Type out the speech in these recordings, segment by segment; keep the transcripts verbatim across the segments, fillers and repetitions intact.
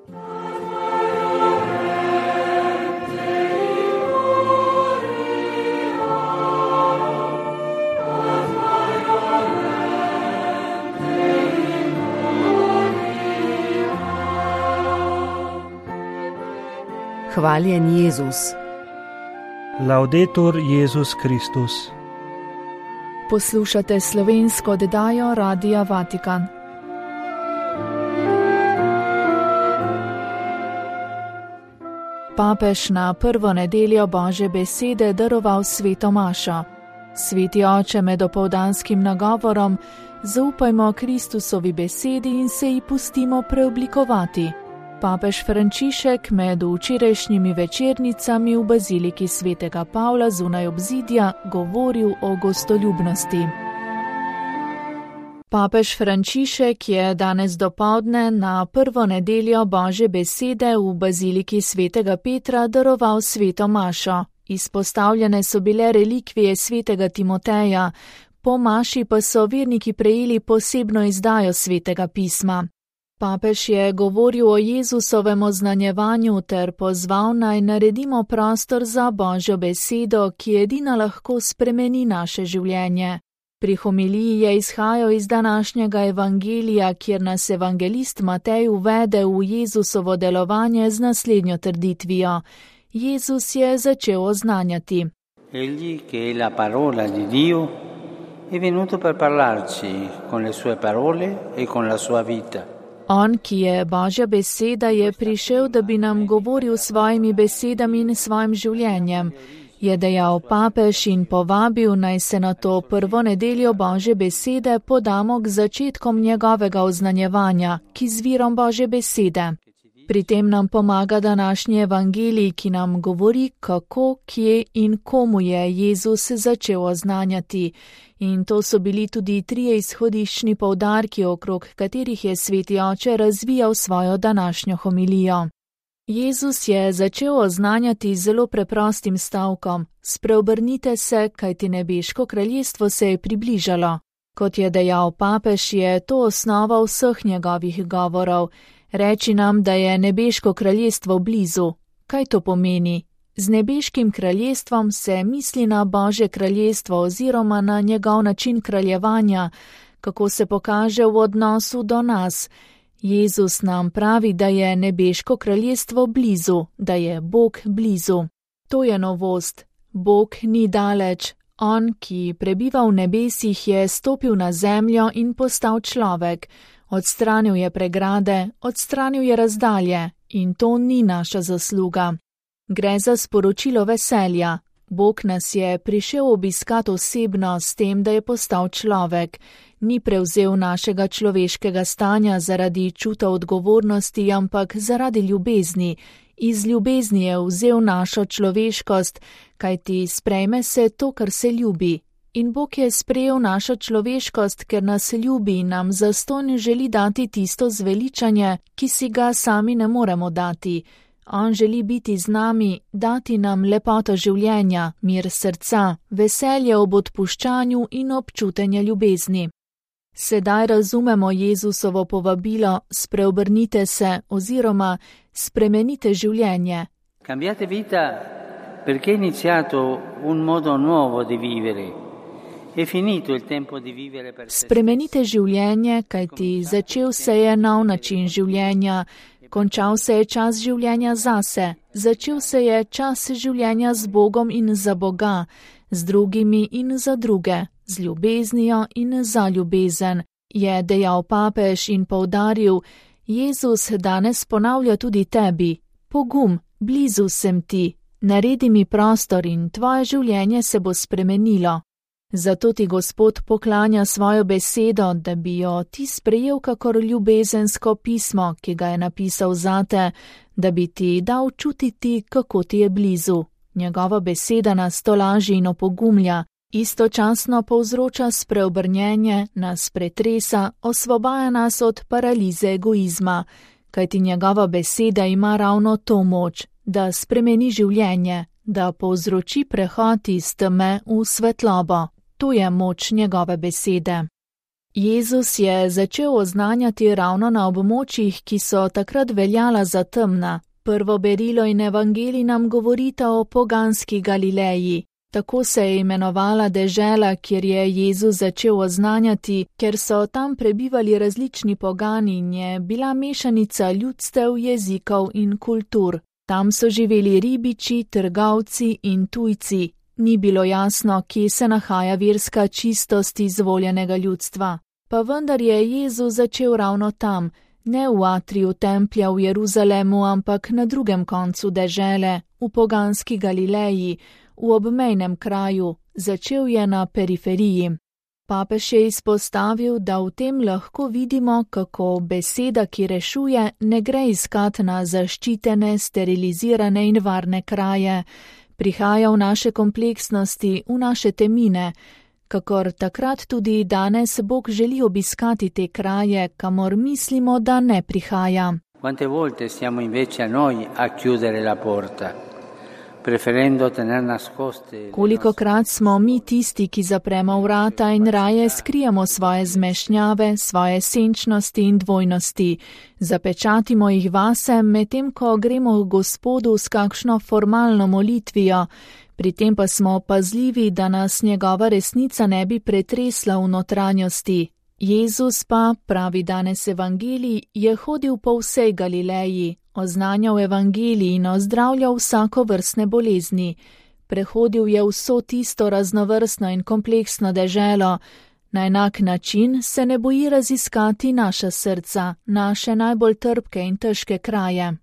Hvaljen Jezus. Laudetur Jezus Kristus. Poslušate slovensko oddajo Radia Vatikan. Papež na prvo nedeljo Božje besede daroval sveto mašo. Sveti oče med opoldanskim nagovorom: zaupajmo Kristusovi besedi in se ji pustimo preoblikovati. Papež Frančišek med včerajšnjimi večernicami v baziliki svetega Pavla zunaj obzidja govoril o gostoljubnosti. Papež Frančišek je danes dopoldne na prvo nedeljo Božje besede v baziliki svetega Petra daroval sveto mašo. Izpostavljene so bile relikvije svetega Timoteja, po maši pa so verniki prejeli posebno izdajo svetega pisma. Papež je govoril o Jezusovem oznanjevanju ter pozval naj naredimo prostor za Božjo besedo, ki edina lahko spremeni naše življenje. Pri homiliji je izhajal iz današnjega evangelija, kjer nas evangelist Matej uvede v Jezusovo delovanje z naslednjo trditvijo. Jezus je začel oznanjati: Egli, che è la parola di Dio, è venuto per parlarci con le sue parole e con la sua vita. On, ki je Božja beseda, je prišel, da bi nam govoril svojimi besedami in svojim življenjem, je dejal papež in povabil, naj se na to prvo nedeljo Božje besede podamo k začetkom njegovega oznanjevanja, ki z virom Božje besede. Pri tem nam pomaga današnji evangelij, ki nam govori, kako, kje in komu je Jezus začel oznanjati. In to so bili tudi trije izhodiščni poudarki, okrog katerih je sveti oče razvijal svojo današnjo homilijo. Jezus je začel oznanjati zelo preprostim stavkom: spreobrnite se, kajti nebeško kraljestvo se je približalo. Kot je dejal papež, je to osnova vseh njegovih govorov. Reči nam, da je nebeško kraljestvo blizu. Kaj to pomeni? Z nebeškim kraljestvom se misli na Božje kraljestvo oziroma na njegov način kraljevanja, kako se pokaže v odnosu do nas. Jezus nam pravi, da je nebeško kraljestvo blizu, da je Bog blizu. To je novost. Bog ni daleč. On, ki prebiva v nebesih, je stopil na zemljo in postal človek. Odstranil je pregrade, odstranil je razdalje in to ni naša zasluga. Gre za sporočilo veselja. Bog nas je prišel obiskat osebno s tem, da je postal človek. Ni prevzel našega človeškega stanja zaradi čuta odgovornosti, ampak zaradi ljubezni. Iz ljubezni je vzel našo človeškost, kajti sprejme se to, kar se ljubi. In Bog je sprejel našo človeškost, ker nas ljubi in nam zastonj želi dati tisto zveličanje, ki si ga sami ne moremo dati. On želi biti z nami, dati nam lepoto življenja, mir srca, veselje ob odpuščanju in občutenje ljubezni. Sedaj razumemo Jezusovo povabilo: spreobrnite se oziroma spremenite življenje. Cambiate vita perché è iniziato un modo nuovo di vivere. È finito il tempo di vivere per se. Spremenite življenje, kajti začel se je nov način življenja. Končal se je čas življenja zase, začel se je čas življenja z Bogom in za Boga, z drugimi in za druge, z ljubeznijo in za ljubezen, je dejal papež in poudaril: Jezus danes ponavlja tudi tebi: pogum, blizu sem ti, naredi mi prostor in tvoje življenje se bo spremenilo. Zato ti Gospod poklanja svojo besedo, da bi jo ti sprejel kakor ljubezensko pismo, ki ga je napisal zate, da bi ti dal čutiti, kako ti je blizu. Njegova beseda nas tolaži in opogumlja, istočasno povzroča spreobrnjenje, nas pretresa, osvobaja nas od paralize egoizma, kajti njegova beseda ima ravno to moč, da spremeni življenje, da povzroči prehod iz teme v svetlobo. To je moč njegove besede. Jezus je začel oznanjati ravno na območjih, ki so takrat veljala za temna. Prvo berilo in evangelij nam govorita o poganski Galileji. Tako se je imenovala dežela, kjer je Jezus začel oznanjati, ker so tam prebivali različni pogani in je bila mešanica ljudstev, jezikov in kultur. Tam so živeli ribiči, trgovci in tujci. Ni bilo jasno, kje se nahaja verska čistost izvoljenega ljudstva. Pa vendar je Jezus začel ravno tam, ne v atriju templja v Jeruzalemu, ampak na drugem koncu dežele, v poganski Galileji, v obmejnem kraju, začel je na periferiji. Papež je izpostavil, da v tem lahko vidimo, kako beseda, ki rešuje, ne gre iskat na zaščitene, sterilizirane in varne kraje, prihaja v naše kompleksnosti, v naše temine, kakor takrat tudi danes Bog želi obiskati te kraje, kamor mislimo, da ne prihaja. Quante volte siamo invece a noi a chiudere la porta, preferendo tener nascoste. Kolikokrat smo mi tisti, ki zapremo vrata in raje skrijemo svoje zmešnjave, svoje senčnosti in dvojnosti, zapečatimo jih vase, medtem ko gremo k Gospodu s kakšno formalno molitvijo, pri tem pa smo pazljivi, da nas njegova resnica ne bi pretresla v notranjosti. Jezus pa, pravi danes evangelij, je hodil po vsej Galileji, oznanjal evangelij in ozdravljal vsako vrstne bolezni. Prehodil je vso tisto raznovrstno in kompleksno deželo. Na enak način se ne boji raziskati naša srca, naše najbolj trpke in težke kraje.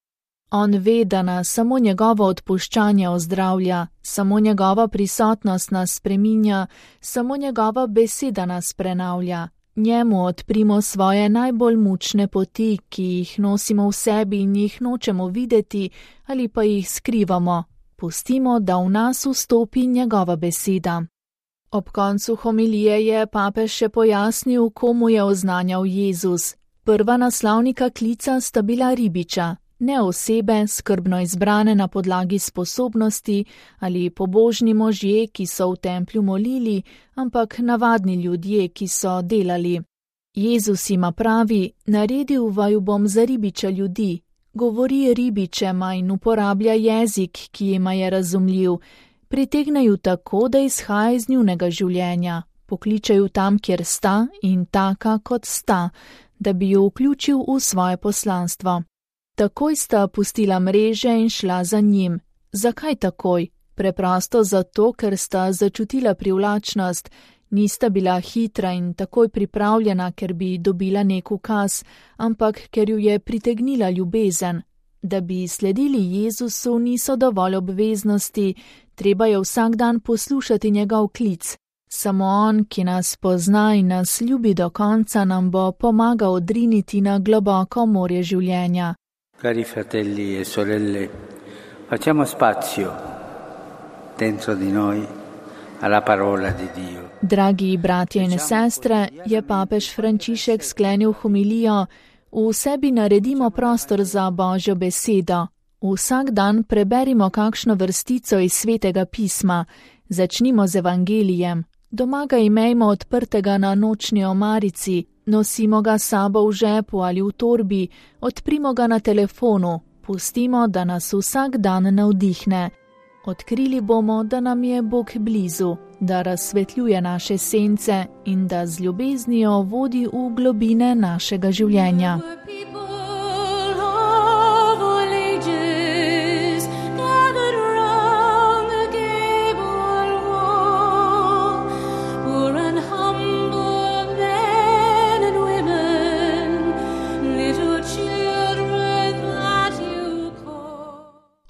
On ve, da nas samo njegovo odpuščanje ozdravlja, samo njegova prisotnost nas spreminja, samo njegova beseda nas prenavlja. Njemu odprimo svoje najbolj mučne poti, ki jih nosimo v sebi in jih nočemo videti ali pa jih skrivamo. Pustimo, da v nas vstopi njegova beseda. Ob koncu homilije je papež še pojasnil, komu je oznanjal Jezus. Prva naslovnika klica sta bila ribiča. Ne osebe, skrbno izbrane na podlagi sposobnosti ali pobožni možje, ki so v templju molili, ampak navadni ljudje, ki so delali. Jezus jima pravi, naredil vaju bom za ribiča ljudi. Govori ribičema in uporablja jezik, ki jima je razumljiv. Pritegne ju tako, da izhaja iz njunega življenja. Pokliče ju tam, kjer sta in taka, kot sta, da bi ju vključil v svoje poslanstvo. Takoj sta pustila mreže in šla za njim. Zakaj takoj? Preprosto zato, ker sta začutila privlačnost, nista bila hitra in takoj pripravljena, ker bi dobila nek ukaz, ampak ker ju je pritegnila ljubezen. Da bi sledili Jezusu, niso dovolj obveznosti, treba je vsak dan poslušati njegov klic. Samo on, ki nas pozna in nas ljubi do konca, nam bo pomagal odriniti na globoko morje življenja. Cari fratelli e sorelle, facciamo spazio dentro di noi alla parola di Dio. Dragi bratje in sestre, je papež Frančišek sklenil homilijo, v sebi naredimo prostor za Božjo besedo. Vsak dan preberimo kakšno vrstico iz Svetega pisma, začnimo z evangelijem. Doma ga imejmo odprtega na nočni omarici, nosimo ga sabo v žepu ali v torbi, odprimo ga na telefonu, pustimo, da nas vsak dan navdihne. Odkrili bomo, da nam je Bog blizu, da razsvetljuje naše sence in da z ljubeznijo vodi v globine našega življenja.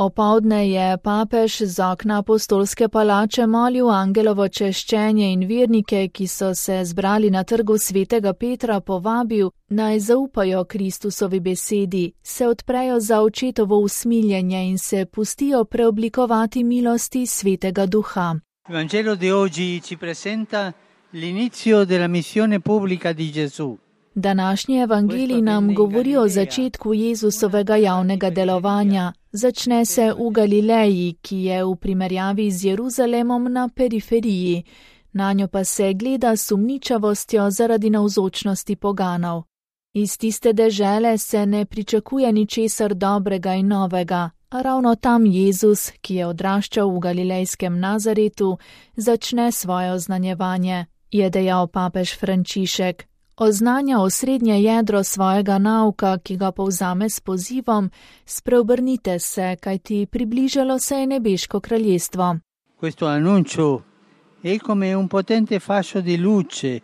Opoldne je papež z okna apostolske palače molil angelovo češčenje in vernike, ki so se zbrali na trgu svetega Petra, povabil, naj zaupajo Kristusovi besedi, se odprejo za očetovo usmiljenje in se pustijo preoblikovati milosti svetega duha. Vangelo di oggi ci presenta l'inizio della missione pubblica di Gesù. Današnji evangelij nam govori o začetku Jezusovega javnega delovanja. Začne se v Galileji, ki je v primerjavi z Jeruzalemom na periferiji. nanjo pa se gleda s sumničavostjo zaradi navzočnosti poganov. Iz tiste dežele se ne pričakuje ničesar dobrega in novega, a ravno tam Jezus, ki je odraščal v galilejskem Nazaretu, začne svoje oznanjevanje, je dejal papež Frančišek. Oznanja osrednje jedro svojega nauka, ki ga povzame s pozivom: spreobrnite se, kajti približalo se je nebeško kraljestvo. Questo annuncio è come un potente fascio di luce.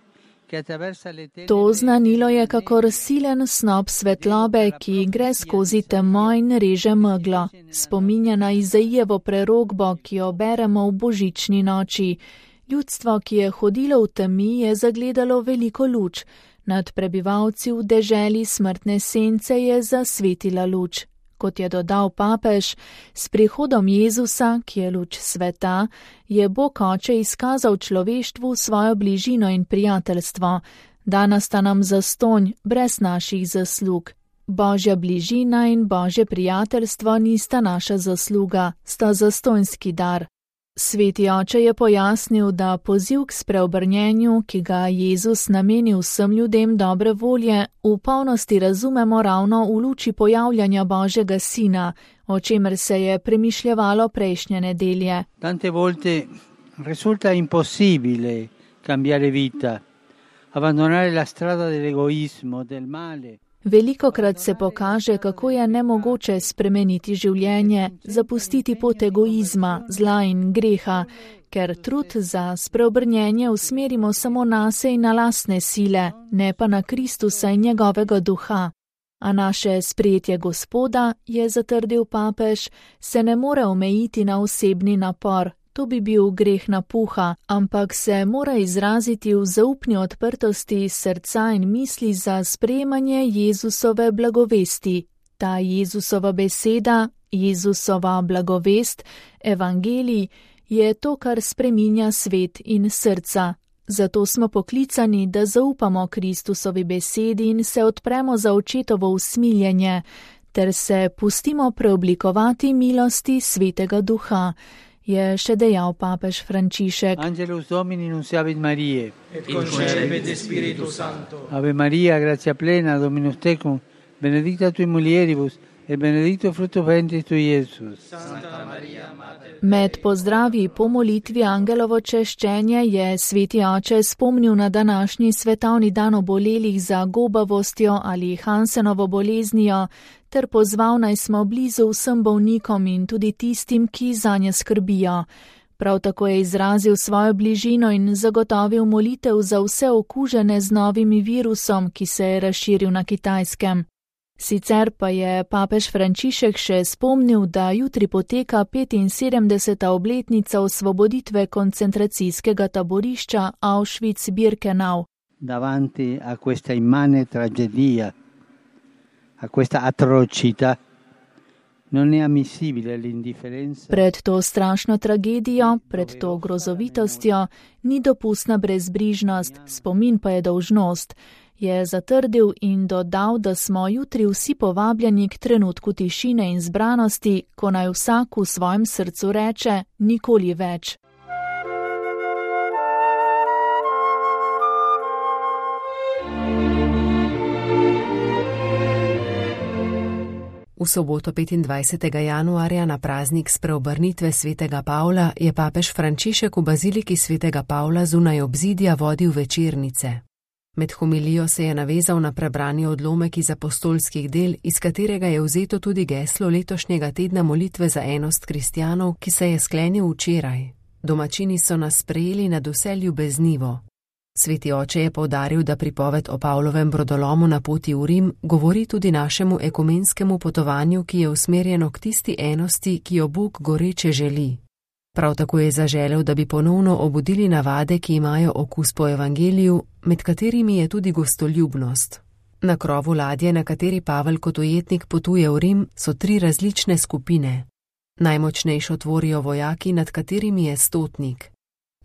To znanilo je kakor silen snop svetlobe, ki gre skozi temo in reže meglo. Spominja na Izaijevo prerokbo, ki jo beremo v božični noči. Ljudstvo, ki je hodilo v temi, je zagledalo veliko luč. Nad prebivalci v deželi smrtne sence je zasvetila luč. Kot je dodal papež, s prihodom Jezusa, ki je luč sveta, je Bog Oče izkazal človeštvu svojo bližino in prijateljstvo. Dana sta nam zastonj, brez naših zaslug. Božja bližina in Božje prijateljstvo nista naša zasluga, sta zastonjski dar. Sveti Oče je pojasnil, da poziv k spreobrnjenju, ki ga Jezus nameni vsem ljudem dobre volje, v polnosti razumemo ravno v luči pojavljanja Božjega Sina, o čemer se je premišljevalo prejšnje nedelje. Tante volte risulta impossibile cambiare vita, abbandonare la strada dell'egoismo, del male. Velikokrat se pokaže, kako je nemogoče spremeniti življenje, zapustiti pot egoizma, zla in greha, ker trud za spreobrnjenje usmerimo samo nase in na lastne sile, ne pa na Kristusa in njegovega duha. A naše sprejetje Gospoda, je zatrdil papež, se ne more omejiti na osebni napor. To bi bil greh napuha, ampak se mora izraziti v zaupni odprtosti srca in misli za sprejemanje Jezusove blagovesti. Ta Jezusova beseda, Jezusova blagovest, evangelij, je to, kar spreminja svet in srca. Zato smo poklicani, da zaupamo Kristusovi besedi in se odpremo za očetovo usmiljenje, ter se pustimo preoblikovati milosti Svetega Duha, je še dejal papež Frančišek. Angelus Domini nunciavit Mariae, et concepit Spiritus Sancto. Ave Maria, gratia plena, Dominus tecum, benedicta tui mulieribus, et benedictus fructus ventris tui, Iesus. Santa Maria, Mater Med pozdravi po molitvi angelovo češčenje je Sveti Oče spomnil na današnji svetovni dan obolelih za gobavostjo ali Hansenovo boleznijo, ter pozval naj smo blizu vsem bolnikom in tudi tistim, ki zanje skrbijo. Prav tako je izrazil svojo bližino in zagotovil molitev za vse okužene z novim virusom, ki se je razširil na Kitajskem. Sicer pa je papež Frančišek še spomnil, da jutri poteka petinsedemdeseta obletnica osvoboditve koncentracijskega taborišča Auschwitz-Birkenau. Davanti a questa immane tragedia, a questa atrocità, non è ammissibile l'indifferenza. Pred to strašno tragedijo, pred to grozovitostjo, ni dopustna brezbrižnost, spomin pa je dolžnost, je zatrdil in dodal, da smo jutri vsi povabljeni k trenutku tišine in zbranosti, ko naj vsak v svojem srcu reče: nikoli več. V soboto petindvajsetega januarja na praznik spreobrnitve svetega Pavla je papež Frančišek v baziliki svetega Pavla zunaj obzidja vodil večernice. Med homilijo se je navezal na prebrani odlomek iz apostolskih del, iz katerega je vzeto tudi geslo letošnjega tedna molitve za enost kristjanov, ki se je sklenil včeraj. Domačini so nas sprejeli nadvse ljubeznivo. Sveti Oče je poudaril, da pripoved o Pavlovem brodolomu na poti v Rim govori tudi našemu ekumenskemu potovanju, ki je usmerjeno k tisti enosti, ki jo Bog goreče želi. Prav tako je zaželel, da bi ponovno obudili navade, ki imajo okus po evangeliju, med katerimi je tudi gostoljubnost. Na krovu ladje, na kateri Pavel kot ujetnik potuje v Rim, so tri različne skupine. Najmočnejšo tvorijo vojaki, nad katerimi je stotnik.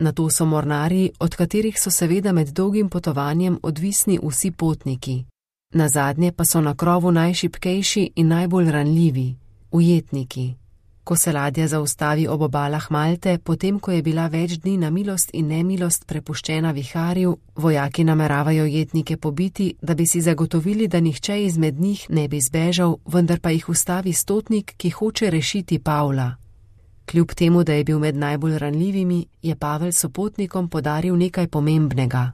Nato so mornarji, od katerih so seveda med dolgim potovanjem odvisni vsi potniki. Nazadnje pa so na krovu najšibkejši in najbolj ranljivi, ujetniki. Ko se ladja zaustavi ob obalah Malte, potem ko je bila več dni na milost in nemilost prepuščena viharju, vojaki nameravajo jetnike pobiti, da bi si zagotovili, da nihče izmed njih ne bi zbežal, vendar pa jih ustavi stotnik, ki hoče rešiti Pavla. Kljub temu, da je bil med najbolj ranljivimi, je Pavel sopotnikom podaril nekaj pomembnega.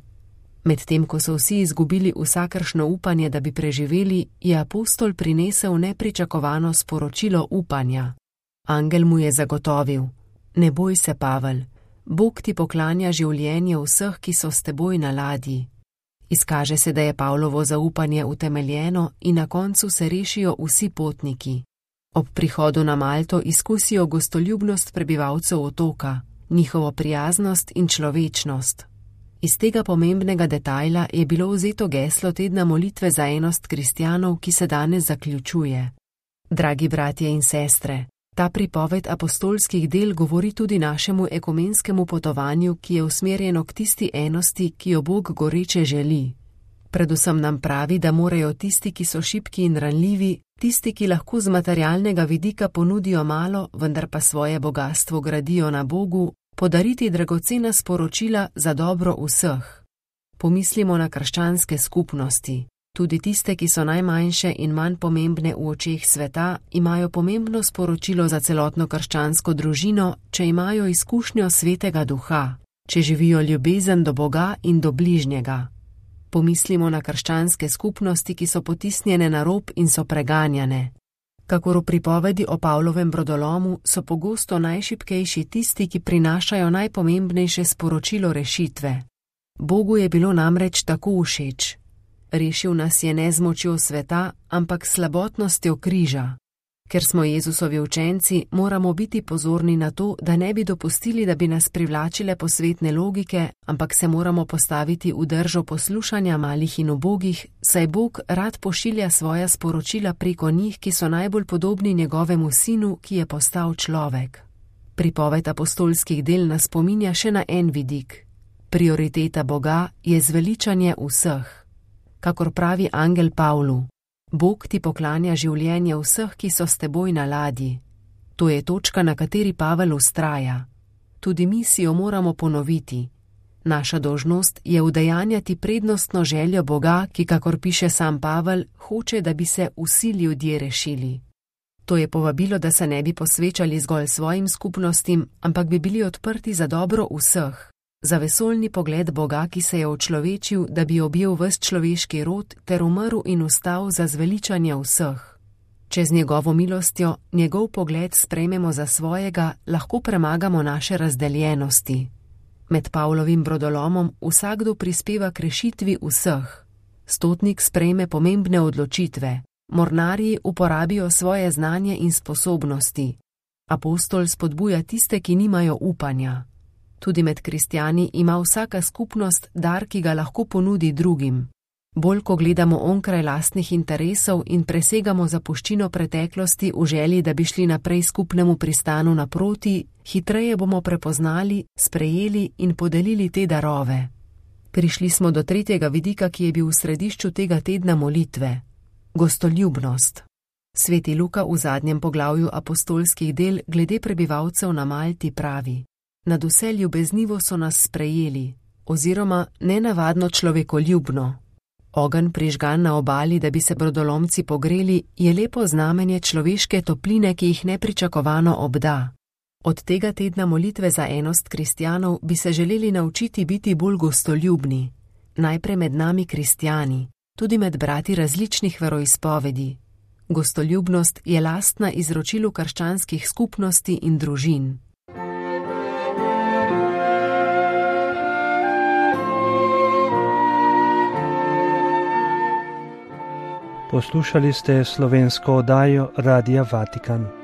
Medtem ko so vsi izgubili vsakršno upanje, da bi preživeli, je apostol prinesel nepričakovano sporočilo upanja. Angel mu je zagotovil: ne boj se, Pavel, Bog ti poklanja življenje vseh, ki so s teboj na ladji. Izkaže se, da je Pavlovo zaupanje utemeljeno in na koncu se rešijo vsi potniki. Ob prihodu na Malto izkusijo gostoljubnost prebivalcev otoka, njihovo prijaznost in človečnost. Iz tega pomembnega detajla je bilo vzeto geslo tedna molitve za enost kristjanov, ki se danes zaključuje. Dragi bratje in sestre, ta pripoved apostolskih del govori tudi našemu ekumenskemu potovanju, ki je usmerjeno k tisti enosti, ki jo Bog goreče želi. Predvsem nam pravi, da morajo tisti, ki so šibki in ranljivi, tisti, ki lahko z materialnega vidika ponudijo malo, vendar pa svoje bogastvo gradijo na Bogu, podariti dragocena sporočila za dobro vseh. Pomislimo na krščanske skupnosti. Tudi tiste, ki so najmanjše in manj pomembne v očeh sveta, imajo pomembno sporočilo za celotno krščansko družino, če imajo izkušnjo Svetega Duha, če živijo ljubezen do Boga in do bližnjega. Pomislimo na krščanske skupnosti, ki so potisnjene na rob in so preganjane. Kakor v pripovedi o Pavlovem brodolomu, so pogosto najšibkejši tisti, ki prinašajo najpomembnejše sporočilo rešitve. Bogu je bilo namreč tako všeč. Rešil nas je ne z močjo sveta, ampak s slabotnostjo križa. Ker smo Jezusovi učenci, moramo biti pozorni na to, da ne bi dopustili, da bi nas privlačile posvetne logike, ampak se moramo postaviti v držo poslušanja malih in ubogih, saj Bog rad pošilja svoja sporočila preko njih, ki so najbolj podobni njegovemu sinu, ki je postal človek. Pripoved apostolskih del nas spominja še na en vidik. Prioriteta Boga je zveličanje vseh. Kakor pravi angel Pavlu: Bog ti poklanja življenje vseh, ki so s teboj na ladji. To je točka, na kateri Pavel vztraja. Tudi mi si jo moramo ponoviti. Naša dolžnost je udejanjati prednostno željo Boga, ki, kakor piše sam Pavel, hoče, da bi se vsi ljudje rešili. To je povabilo, da se ne bi posvečali zgolj svojim skupnostim, ampak bi bili odprti za dobro vseh. Za vesoljni pogled Boga, ki se je očlovečil, da bi objel ves človeški rod ter umrl in vstal za zveličanje vseh. Če z njegovo milostjo njegov pogled sprejmemo za svojega, lahko premagamo naše razdeljenosti. Med Pavlovim brodolomom vsakdo prispeva k rešitvi vseh. Stotnik sprejme pomembne odločitve, mornarji uporabijo svoje znanje in sposobnosti. Apostol spodbuja tiste, ki nimajo upanja. Tudi med kristjani ima vsaka skupnost dar, ki ga lahko ponudi drugim. Bolj ko gledamo onkraj lastnih interesov in presegamo zapuščino preteklosti v želji, da bi šli naprej skupnemu pristanu naproti, hitreje bomo prepoznali, sprejeli in podelili te darove. Prišli smo do tretjega vidika, ki je bil v središču tega tedna molitve. Gostoljubnost. Sveti Luka v zadnjem poglavju apostolskih del glede prebivalcev na Malti pravi: Nadvse ljubeznivo so nas sprejeli, oziroma nenavadno človekoljubno. Ogenj prižgan na obali, da bi se brodolomci pogreli, je lepo znamenje človeške topline, ki jih nepričakovano obda. Od tega tedna molitve za enost kristjanov bi se želeli naučiti biti bolj gostoljubni. Najprej med nami kristjani, tudi med brati različnih veroizpovedi. Gostoljubnost je lastna izročilu krščanskih skupnosti in družin. Poslušali ste slovensko oddajo Radia Vatikan.